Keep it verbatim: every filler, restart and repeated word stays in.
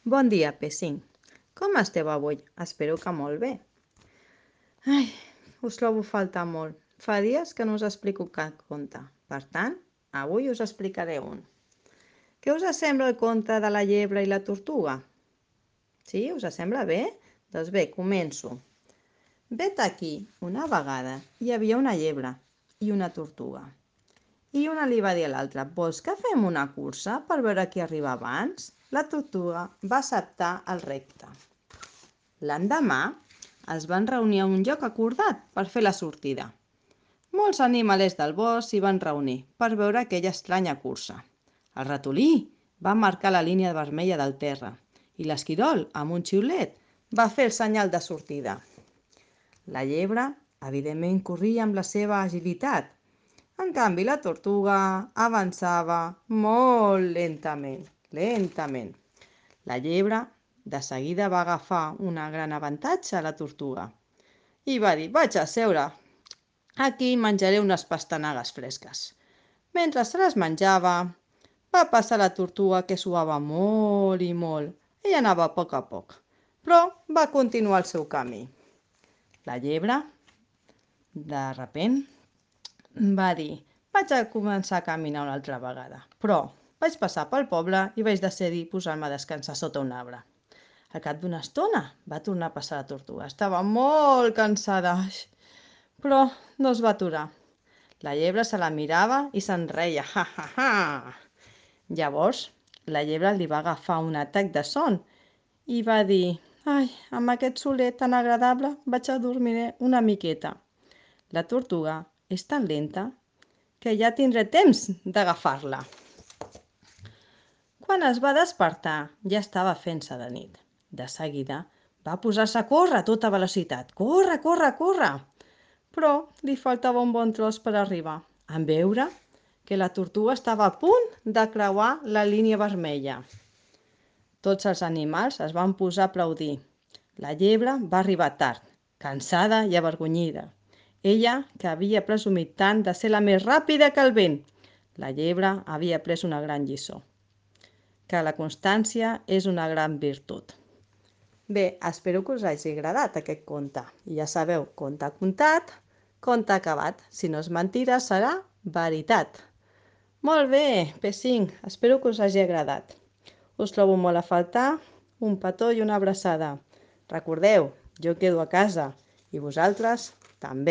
Bon dia, P cinc. Com esteu avui? Espero que molt bé. Ai, us trobo a faltar molt. Fa dies que no us explico cap conte. Per tant, avui us explicaré un. Què us sembla el conte de la llebre i la tortuga? Sí, us sembla bé? Doncs bé, començo. Vet aquí, una vegada hi havia una llebre i una tortuga. I una li va dir a l'altra: vols que fem una cursa per veure qui arriba abans? La tortuga va acceptar el repte. L'endemà es van reunir a un lloc acordat per fer la sortida. Molts animalets del bosc s'hi van reunir per veure aquella estranya cursa. El ratolí va marcar la línia vermella del terra i l'esquirol, amb un xiulet, va fer el senyal de sortida. La llebre, evidentment, corria amb la seva agilitat. En canvi, la tortuga avançava molt lentament, lentament. La llebre de seguida va agafar un gran avantatge a la tortuga i va dir: vaig a seure, aquí menjaré unes pastanagues fresques. Mentre se les menjava, va passar la tortuga, que suava molt i molt. Ella anava a poc a poc, però va continuar el seu camí. La llebre, de repent, va dir: vaig a començar a caminar una altra vegada, però vaig passar pel poble i vaig decidir posar-me a descansar sota un arbre. Al cap d'una estona va tornar a passar la tortuga. Estava molt cansada, però no es va aturar. La llebre se la mirava i se'n reia. Ha, ha, ha. Llavors, la llebre li va agafar un atac de son i va dir: ai, amb aquest solet tan agradable vaig a dormir una miqueta. La tortuga és tan lenta que ja tindré temps d'agafar-la. Quan es va despertar, ja estava fent-se de nit. De seguida va posar-se a córrer a tota velocitat. Corre, corre, corre! Però li faltava un bon tros per arribar, en veure que la tortuga estava a punt de creuar la línia vermella. Tots els animals es van posar a aplaudir. La llebre va arribar tard, cansada i avergonyida. Ella, que havia presumit tant de ser la més ràpida que el vent. La llebre havia après una gran lliçó, que la constància és una gran virtut. Bé, espero que us hagi agradat aquest conte. I ja sabeu, conte contat, conte acabat. Si no és mentida, serà veritat. Molt bé, P cinc, espero que us hagi agradat. Us trobo molt a faltar, un petó i una abraçada. Recordeu, jo quedo a casa i vosaltres també.